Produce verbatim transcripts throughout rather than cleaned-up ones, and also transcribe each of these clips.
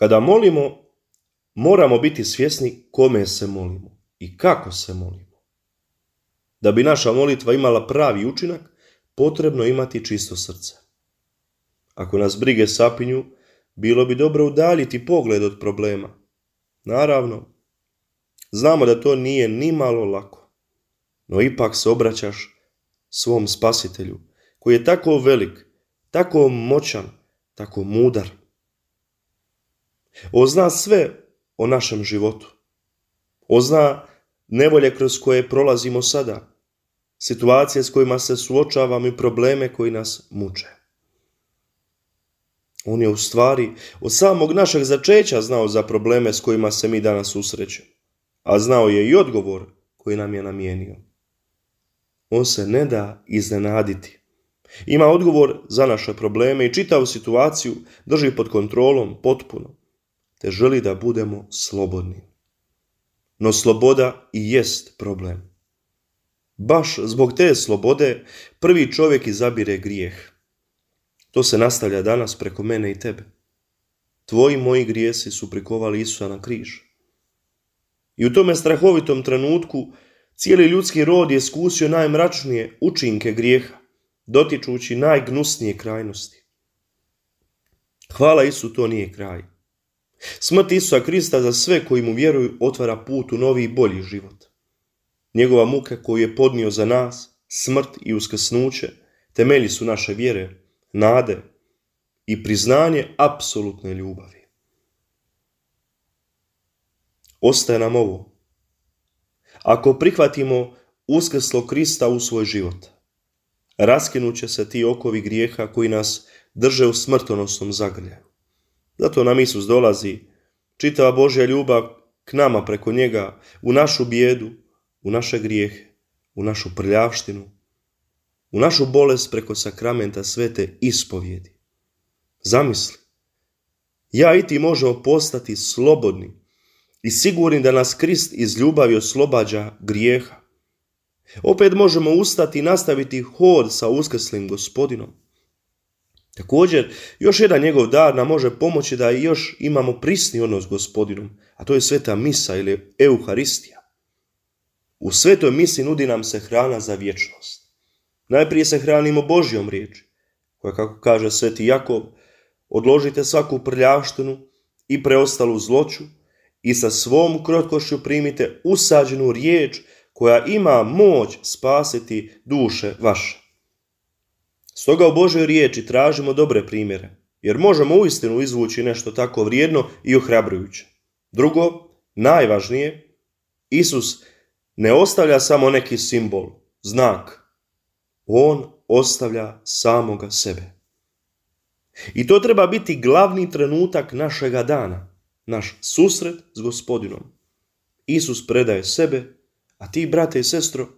Kada molimo, moramo biti svjesni kome se molimo i kako se molimo. Da bi naša molitva imala pravi učinak, potrebno imati čisto srce. Ako nas brige sapinju, bilo bi dobro udaljiti pogled od problema. Naravno, znamo da to nije ni malo lako, no ipak se obraćaš svom spasitelju, koji je tako velik, tako moćan, tako mudar. On zna sve o našem životu. On zna nevolje kroz koje prolazimo sada, situacije s kojima se suočavamo i probleme koji nas muče. On je u stvari od samog našeg začeća znao za probleme s kojima se mi danas susrećemo, a znao je i odgovor koji nam je namijenio. On se ne da iznenaditi. Ima odgovor za naše probleme i čitavu situaciju drži pod kontrolom potpuno, te želi da budemo slobodni. No sloboda i jest problem. Baš zbog te slobode prvi čovjek izabire grijeh. To se nastavlja danas preko mene i tebe. Tvoji moji grijesi su prikovali Isusa na križ. I u tome strahovitom trenutku cijeli ljudski rod je iskusio najmračnije učinke grijeha, dotičući najgnusnije krajnosti. Hvala Isu, to nije kraj. Smrt Isusa Krista za sve koji mu vjeruju otvara put u novi i bolji život. Njegova muka koju je podnio za nas, smrt i uskrsnuće, temelji su naše vjere, nade i priznanje apsolutne ljubavi. Ostaje nam ovo. Ako prihvatimo uskrslog Krista u svoj život, raskinut će se ti okovi grijeha koji nas drže u smrtonosnom zagrljaju. Zato nam Isus dolazi, čitava Božja ljubav k nama preko njega, u našu bijedu, u naše grijehe, u našu prljavštinu, u našu bolest preko sakramenta svete ispovjedi. Zamisli, ja i ti možemo postati slobodni i sigurni da nas Krist iz ljubavi oslobađa grijeha. Opet možemo ustati i nastaviti hod sa uskrslim Gospodinom. Također, još jedan njegov dar nam može pomoći da još imamo prisni odnos s Gospodinom, a to je sveta misa ili Euharistija. U svetoj misi nudi nam se hrana za vječnost. Najprije se hranimo Božjom riječi, koja, kako kaže sveti Jakov, odložite svaku prljavštinu i preostalu zloću i sa svom krotkošću primite usađenu riječ koja ima moć spasiti duše vaše. Stoga u Božjoj riječi tražimo dobre primjere, jer možemo uistinu izvući nešto tako vrijedno i ohrabrujuće. Drugo, najvažnije, Isus ne ostavlja samo neki simbol, znak. On ostavlja samoga sebe. I to treba biti glavni trenutak našega dana, naš susret s Gospodinom. Isus predaje sebe, a ti, brate i sestro,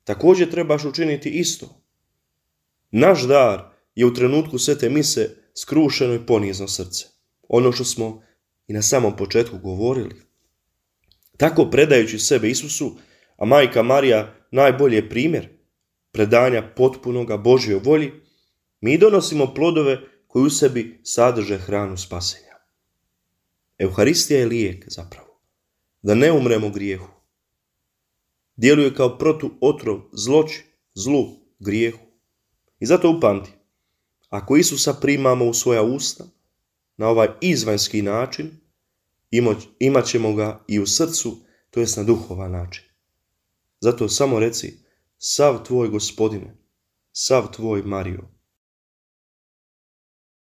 također trebaš učiniti isto. Naš dar je u trenutku svete mise skrušeno i ponizno srce. Ono što smo i na samom početku govorili. Tako predajući sebe Isusu, a majka Marija najbolji je primjer predanja potpunoga Božjoj volji, mi donosimo plodove koji u sebi sadrže hranu spasenja. Euharistija je lijek zapravo, da ne umremo grijehu. Djeluje kao protuotrov zloći, zlu, grijehu. I zato upamti, ako Isusa primamo u svoja usta, na ovaj izvanjski način, imat ćemo ga i u srcu, to jest na duhovan način. Zato samo reci, sav tvoj Gospodine, sav tvoj Mario.